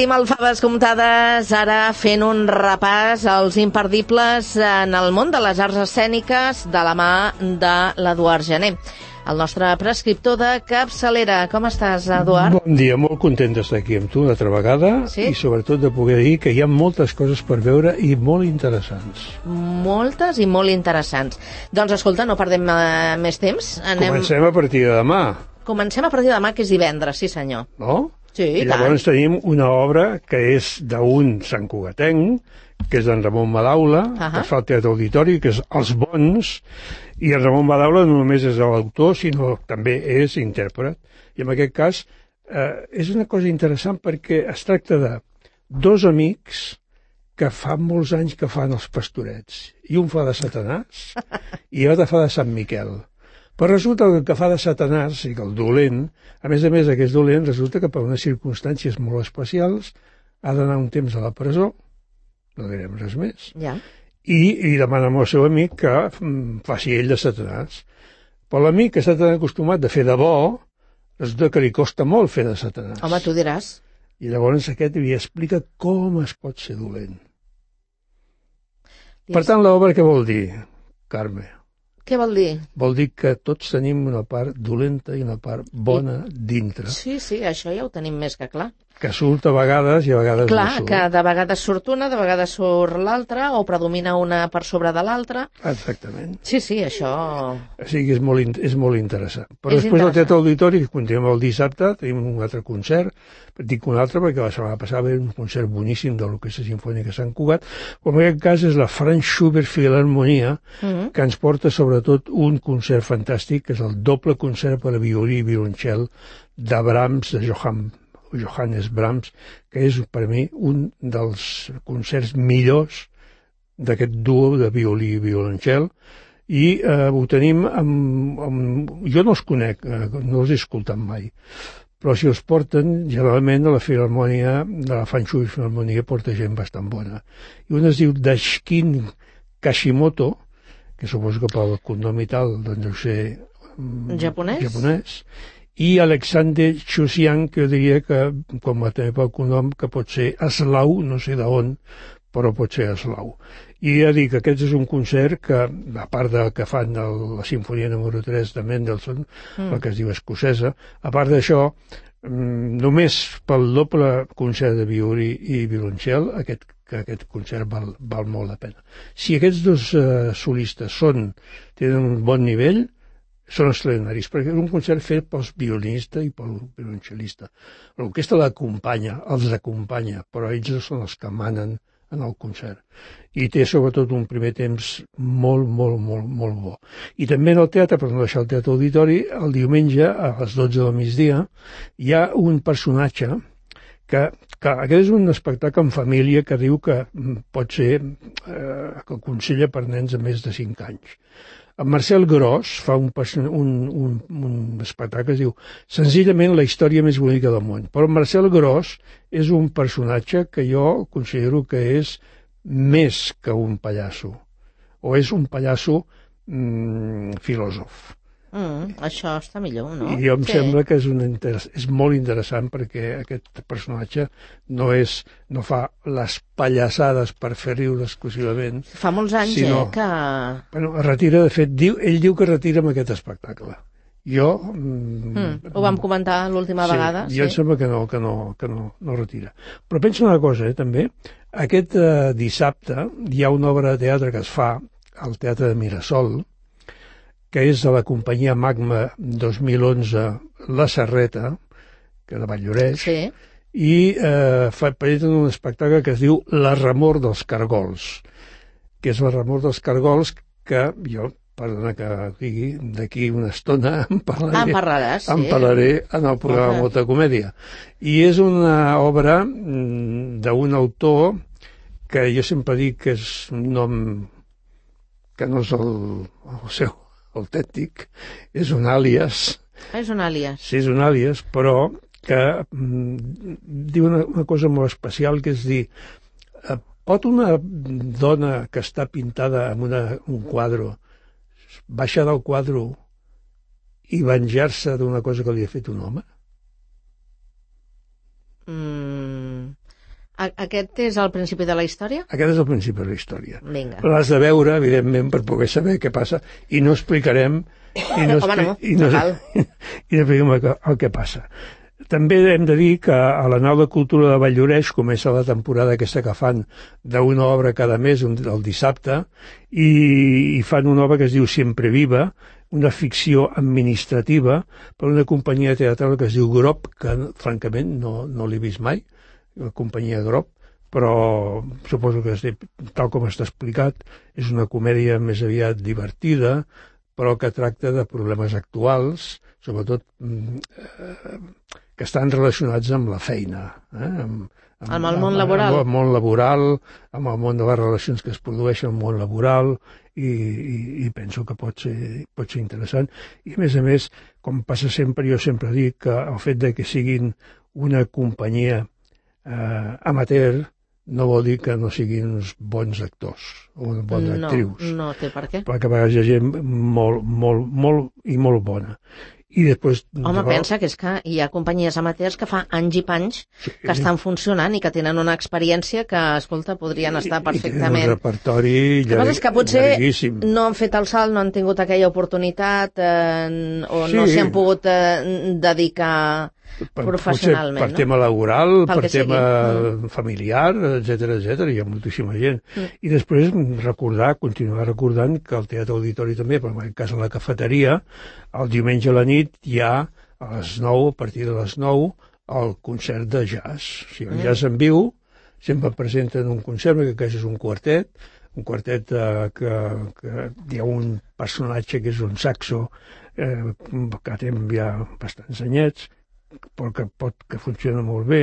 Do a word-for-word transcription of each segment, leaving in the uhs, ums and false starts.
aquí amb el Faves Comptades, ara fent un repàs als imperdibles en el món de les arts escèniques de la mà de l'Eduard Gené, el nostre prescriptor de capçalera. Com estàs, Eduard? Bon dia, molt content d'estar aquí amb tu una altra vegada, sí? I sobretot de poder dir que hi ha moltes coses per veure i molt interessants. Moltes i molt interessants. Doncs escolta, no perdem uh, més temps. Anem... Comencem a partir de demà. Comencem a partir de demà, que és divendres, sí senyor. No? Sí, i llavors tant. tenim una obra que és d'un santcugatenc, que és d'en Ramon Madaula, uh -huh. que fa el Teatre Auditori, que és Els Bons, i en Ramon Madaula no només és l'autor, sinó també és intèrpret. I en aquest cas eh, és una cosa interessant perquè es tracta de dos amics que fa molts anys que fan els pastorets. I un fa de Satanàs i l'altre fa de Sant Miquel. Però resulta que el que fa de Satanàs, i que el dolent, a més a més aquest dolent, resulta que per unes circumstàncies molt especials ha d'anar un temps a la presó, no direm res més, ja. i, i demana al seu amic que mm, faci ell de Satanàs. Però l'amic que està tan acostumat a fer de bo, resulta que li costa molt fer de Satanàs. Home, tu diràs. I llavors aquest li explica com es pot ser dolent. Per tant, l'obra què vol dir, Carme? Què vol dir? Vol dir que tots tenim una part dolenta i una part bona I... dintre. Sí, sí, això ja ho tenim més que clar. Que surt a vegades i a vegades clar, no surt. Clar, que de vegades surt una, de vegades surt l'altra, o predomina una per sobre de l'altra. Exactament. Sí, sí, això... O sigui, és molt, és molt interessant. Però és després interessant. del Teatre Auditori, que continuem el dissabte, tenim un altre concert, dic un altre perquè la setmana passada va haver un concert boníssim de l'Orquestra Simfònica Sant Cugat, com en aquest cas és la Franz Schubert Filharmonia, uh -huh. que ens porta sobretot un concert fantàstic, que és el doble concert per a violí i violoncel de Brahms, de Johann Johannes Brahms, que és per mi un dels concerts millors d'aquest duo de violí i violoncel, i eh, ho tenim amb, amb... jo no els conec, eh, no els he escoltat mai, però si els porten, generalment a la Filharmonia, de la Franz Schubert Filharmonia, porta gent bastant bona. I un es diu Dashkin Kashimoto, que suposo que pel cognom i tal, doncs deu ser japonès, japonès i Alexander Chusian, que jo diria que, com a també pel cognom, que pot ser eslau, no sé d'on, però pot ser eslau. I ja dic que aquest és un concert que, a part de que fan el, la Sinfonia número tres de Mendelssohn, mm. la que es diu escocesa, a part d'això, només pel doble concert de violí i violoncel, aquest, que aquest concert val, val molt la pena. Si aquests dos uh, solistes són, tenen un bon nivell, són extraordinaris, perquè és un concert fet pels violinistes i pel violoncel·lista. L'orquestra l'acompanya, els acompanya, però ells són els que manen en el concert. I té sobretot un primer temps molt, molt, molt, molt bo. I també en el teatre, per no deixar el Teatre Auditori, el diumenge a les dotze del migdia hi ha un personatge que, que aquest és un espectacle en família que diu que pot ser, eh, que aconsella per nens de més de cinc anys. En Marcel Gros fa un, un, un, un espectacle que es diu senzillament la història més bonica del món. Però Marcel Gros és un personatge que jo considero que és més que un pallasso, o és un pallasso mm, filòsof. Mm, això està millor, no? I jo em sí. sembla que és, un interess... és molt interessant perquè aquest personatge no és no fa les pallassades per fer riure exclusivament. Fa molts anys, sinó, eh, que... Bueno, es retira, de fet, diu, ell diu que retira amb aquest espectacle. Jo... Mm, ho vam comentar l'última sí, vegada. Jo sí. Em sembla que no, que no, que no, no retira. Però penso una cosa, eh, també. Aquest eh, dissabte hi ha una obra de teatre que es fa al Teatre de Mirasol, que és de la companyia Magma dos mil onze La Serreta, que de Valldoreix, sí. i eh, presenten un espectacle que es diu La remor dels cargols, que és la remor dels cargols que jo, perdona que digui, d'aquí una estona en parlaré, ah, en parlaràs, sí. en parlaré en el programa okay. Molta Comèdia. I és una obra d'un autor que jo sempre dic que és un nom que no és el, el seu autèntic, és un àlies. És un àlies. Sí, és un àlies, però que mm, diu una, una cosa molt especial, que és dir, eh, pot una dona que està pintada en una, un quadre baixar del quadre i venjar-se d'una cosa que li ha fet un home? Mm, Aquest és el principi de la història? Aquest és el principi de la història. Vinga. L'has de veure, evidentment, per poder saber què passa, i no explicarem... I no Home, no, i no, no cal. I no expliquem el, el que passa. També hem de dir que a la Nau de Cultura de Valldoreix comença la temporada aquesta que fan d'una obra cada mes, un, el dissabte, i, i fan una obra que es diu Sempre Viva, una ficció administrativa per una companyia teatral que es diu Grop, que francament no, no l'he vist mai, la companyia Grop, però suposo que, tal com està explicat, és una comèdia més aviat divertida, però que tracta de problemes actuals, sobretot eh, que estan relacionats amb la feina, eh? amb, amb, amb el món laboral. Amb el món laboral, amb el món de les relacions que es produeixen al món laboral, i, i, i penso que pot ser, pot ser interessant. I a més a més, com passa sempre, jo sempre dic que el fet de que siguin una companyia eh, amateur no vol dir que no siguin uns bons actors o bones no, actrius. No té per què. Perquè a vegades hi ha gent molt, molt, molt i molt bona. I després... Home, no, pensa que és que hi ha companyies amateurs que fa anys i panys sí, que estan funcionant i que tenen una experiència que, escolta, podrien estar perfectament... I tenen un repertori llarg, que és que potser llarguíssim. No han fet el salt, no han tingut aquella oportunitat eh, o sí. No s'hi han pogut eh, dedicar per, professionalment. Per no? tema laboral, Pel per tema mm. familiar, etcètera, etcètera, hi ha moltíssima gent. Mm. I després recordar, continuar recordant que el Teatre Auditori també, per en cas de la cafeteria, el diumenge a la nit hi ha a les nou, a partir de les nou, el concert de jazz. O sigui, el mm. jazz en viu, sempre presenten un concert, que aquest és un quartet, un quartet eh, que, que hi ha un personatge que és un saxo, eh, que té ja bastants anyets, però que, pot, que funciona molt bé,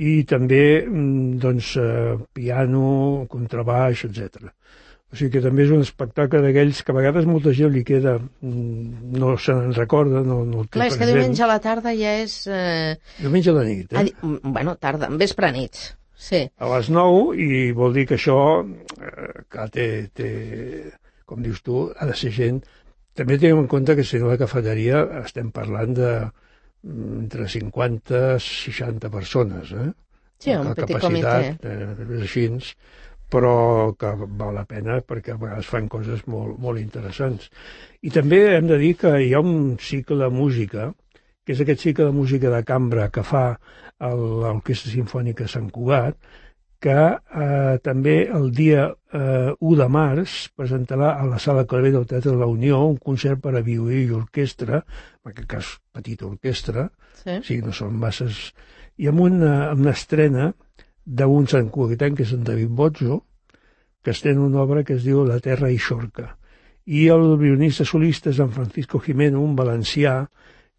i també doncs, eh, piano, contrabaix, etcètera. O sigui que també és un espectacle d'aquells que a vegades molta gent li queda, no se n'en recorda, no, no el té Clar, és que diumenge a la tarda ja és... Eh... Diumenge a la nit, eh? Ah, bueno, tarda, vespre nits, sí. A les nou, i vol dir que això, eh, que té, té, com dius tu, ha de ser gent... També tenim en compte que si no la cafeteria estem parlant de entre cinquanta i seixanta persones, eh? Sí, un la petit capacitat, comitè. Eh, així, però que val la pena perquè a vegades fan coses molt, molt interessants. I també hem de dir que hi ha un cicle de música, que és aquest cicle de música de cambra que fa l'Orquestra Simfònica Sant Cugat, que eh, també el dia eh, u de març presentarà a la Sala Clavé del Teatre de la Unió un concert per a violí i orquestra, en aquest cas petita orquestra, sí. Sí, no són masses, i amb una, amb una estrena d'un santcugatenc, que és en David Bozzo, que estrena una obra que es diu La terra i Xorca. I el violinista solista és en Francisco Jimeno, un valencià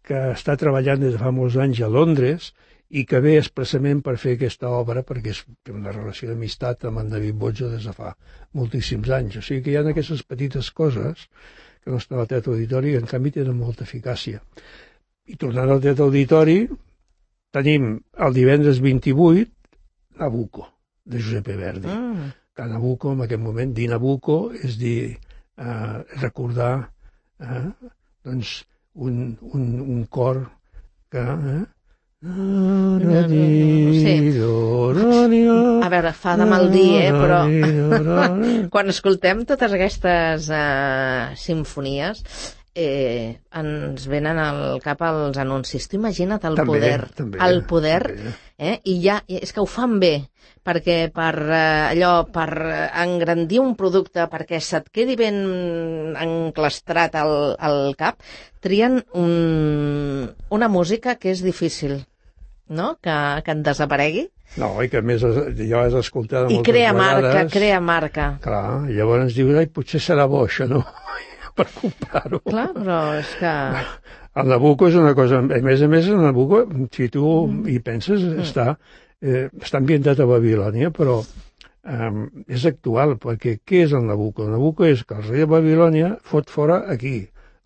que està treballant des de fa molts anys a Londres i que ve expressament per fer aquesta obra perquè és una relació d'amistat amb en David Bozzo des de fa moltíssims anys. O sigui que hi ha aquestes petites coses que no estan al Teatre Auditori i en canvi tenen molta eficàcia. I tornant al Teatre Auditori, tenim el divendres vint-i-vuit Nabucco, de Giuseppe Verdi. Mm. Que Nabucco, en aquest moment, dir Nabucco és dir, eh, recordar eh, doncs un, un, un cor que... Eh, Sí. A veure, fa de mal dir, eh? Però quan escoltem totes aquestes uh, simfonies eh, ens venen al cap els anuncis. Tu imagina't el també, poder, també, el poder, també. Eh? I ja, és que ho fan bé, perquè per uh, allò, per engrandir un producte, perquè se't quedi ben enclastrat al, al cap, trien un, una música que és difícil, no? Que, que en desaparegui. No, i que a més ja has escoltat moltes vegades. I crea marca, crea marca. Clar, i llavors dius, ai, potser serà bo això, no? Per comprar-ho. Clar, però és que... El Nabucco és una cosa... A més a més, el Nabucco, si tu mm. hi penses, mm. està, eh, està ambientat a Babilònia, però eh, és actual, perquè què és el Nabucco? El Nabucco és que el rei de Babilònia fot fora aquí,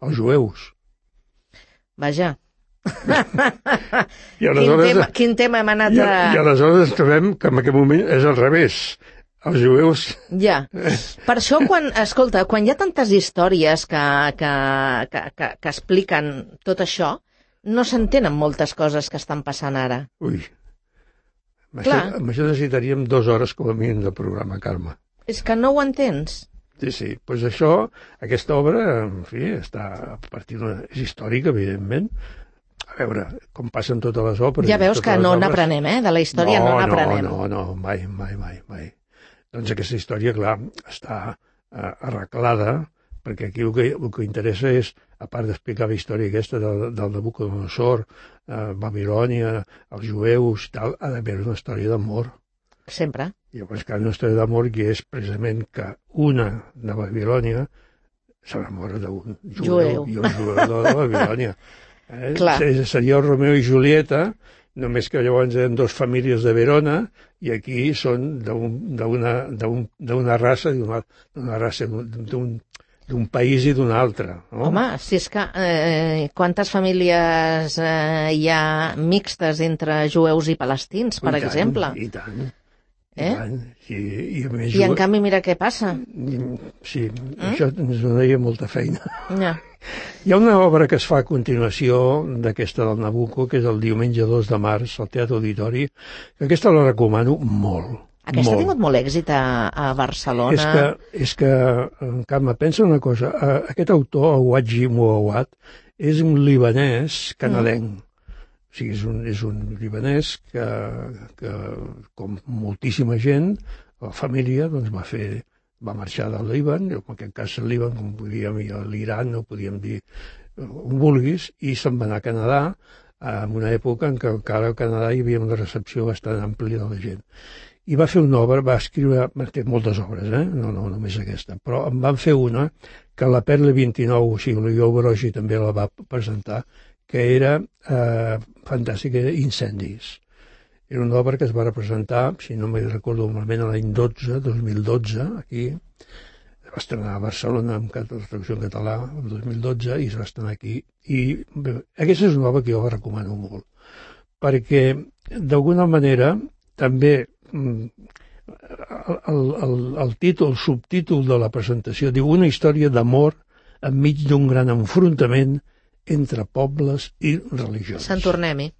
els jueus. Vaja. I quin, tema, quin tema hem anat a... I, i aleshores trobem que en aquest moment és al revés. Els jueus... Ja. Per això, quan, escolta, quan hi ha tantes històries que, que, que, que, que expliquen tot això, no s'entenen moltes coses que estan passant ara. Ui. Amb això, amb això necessitaríem dues hores com a mínim de programa, Carme. És que no ho entens. Sí, sí. Doncs pues això, aquesta obra, en fi, està a partir d'una... és històrica, evidentment. A veure, com passen totes les òperes... Ja veus que no n'aprenem, eh? De la història no n'aprenem. No, no, no, mai, mai, mai, mai. Doncs aquesta història, clar, està eh, arreglada, perquè aquí el que, el que interessa és, a part d'explicar la història aquesta del, del Nabucodonosor, eh, Babilònia, els jueus i tal, ha d'haver una història d'amor. Sempre. I llavors que hi ha una història d'amor que és precisament que una de Babilònia s'enamora d'un jueu, jueu i un jueu de Babilònia. Eh? Seria el Romeo i Julieta, només que llavors eren dues famílies de Verona i aquí són d'una raça, d'una raça d'un d'un país i d'un altre. No? Home, si és que eh, quantes famílies eh, hi ha mixtes entre jueus i palestins, per I exemple? Tant, I tant. Eh? I, tant. I, i, a més, I en canvi mira què passa. Sí, mm? això ens donaria molta feina. Ja. Hi ha una obra que es fa a continuació d'aquesta del Nabucco, que és el diumenge dos de març, al Teatre Auditori, que aquesta la recomano molt. Aquesta molt. ha tingut molt èxit a, a Barcelona. És que, és que Carme, pensa una cosa, aquest autor, Awadji Mouawad, és un libanès canadenc. Mm. O sigui, és un, és un libanès que, que, com moltíssima gent, la família doncs, va fer, va marxar del Líban, en aquest cas el Líban, com podíem dir a l'Iran, no podíem dir on vulguis, i se'n va anar a Canadà, en una època en què encara al Canadà hi havia una recepció bastant àmplia de la gent. I va fer una obra, va escriure, té moltes obres, eh? no, no només aquesta, però en van fer una que la Perle vint-i-nou, o sigui, l'Oriol Brogi també la va presentar, que era eh, fantàstica, era Incendis. Era una obra que es va representar, si no me'n recordo malament, l'any dotze, dos mil dotze, aquí, es va estrenar a Barcelona amb la traducció en català, el dos mil dotze, i es va estrenar aquí. I bé, aquesta és una obra que jo la recomano molt, perquè d'alguna manera també el, el, el títol, el subtítol de la presentació diu una història d'amor enmig d'un gran enfrontament entre pobles i religions. Sant tornem-hi.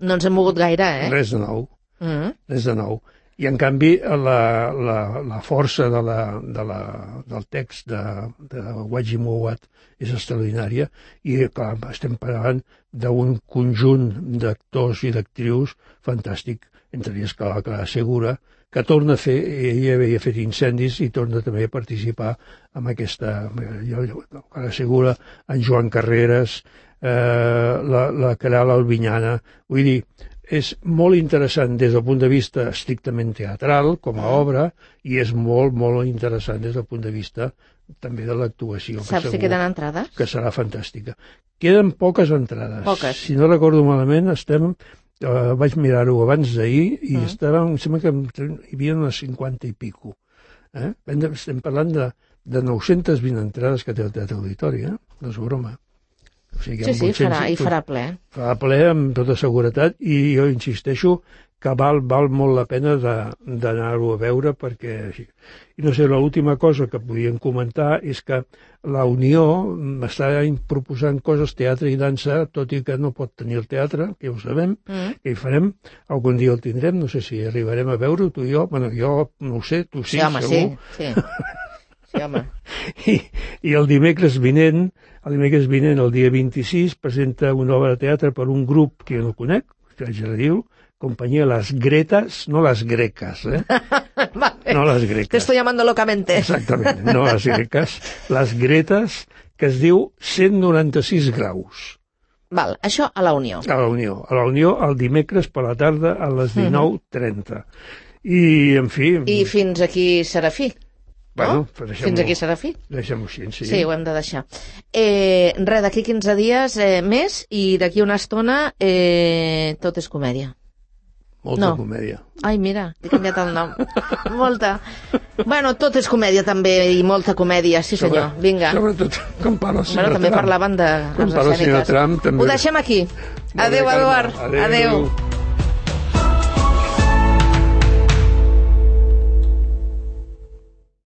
No ens hem mogut gaire, eh? Res de nou. Mm-hmm. Res de nou. I, en canvi, la, la, la força de la, de la, del text de, de Awadji Mouawad és extraordinària i, clar, estem parlant d'un conjunt d'actors i d'actrius fantàstic, entre ells Clara, Clara Segura, que torna a fer, ella havia fet Incendis i torna també a participar amb aquesta, Clara Segura, en Joan Carreras, eh, la, la Caral Albinyana, vull dir, és molt interessant des del punt de vista estrictament teatral, com a obra, i és molt, molt interessant des del punt de vista també de l'actuació. Saps si queden entrades? Que serà fantàstica. Queden poques entrades. Poques. Si no recordo malament, estem, eh, vaig mirar-ho abans d'ahir, i mm. estàvem, em sembla que hi havia unes cinquanta i pico. Eh? Estem parlant de, de nou-centes vint entrades que té el Teatre Auditori, eh? No és broma. O sigui, sí, sí, farà, i farà ple. Farà ple amb tota seguretat i jo insisteixo que val, val molt la pena d'anar-ho a veure perquè... I no sé, l'última cosa que podíem comentar és que la Unió està proposant coses, teatre i dansa, tot i que no pot tenir el teatre, que ho sabem, mm. que hi farem, algun dia el tindrem, no sé si arribarem a veure-ho, tu i jo, bueno, jo no ho sé, tu sí, sí home, segur. Sí, sí. Sí, home. I, I el dimecres vinent, el dimecres vinent, el dia vint-i-sis, presenta una obra de teatre per un grup que jo no conec, que ja la diu, Companyia Las Gretas, no las Grecas, eh? Vale. No las Grecas. Te estoy llamando locamente. Exactament, no las Grecas, las Gretas, que es diu cent noranta-sis graus. Val, això a la Unió. A la Unió. A la Unió el dimecres per la tarda a les dinou trenta. I, en fi... I fins aquí Serafí. Bueno, no? Fins aquí Serafí. Deixem-ho així, sí. Sí, ho hem de deixar. Eh, res, d'aquí quinze dies eh, més i d'aquí una estona eh, tot és comèdia. Molta no. comèdia. Ai, mira, he canviat el nom. Molta. Bueno, tot és comèdia també i molta comèdia, sí senyor. Sobre, vinga. Sobretot, com parla el senyor bueno, també Trump. parlaven de com parla el senyor Trump, també. Ho deixem aquí. Adéu, Eduard. Adéu. Adéu.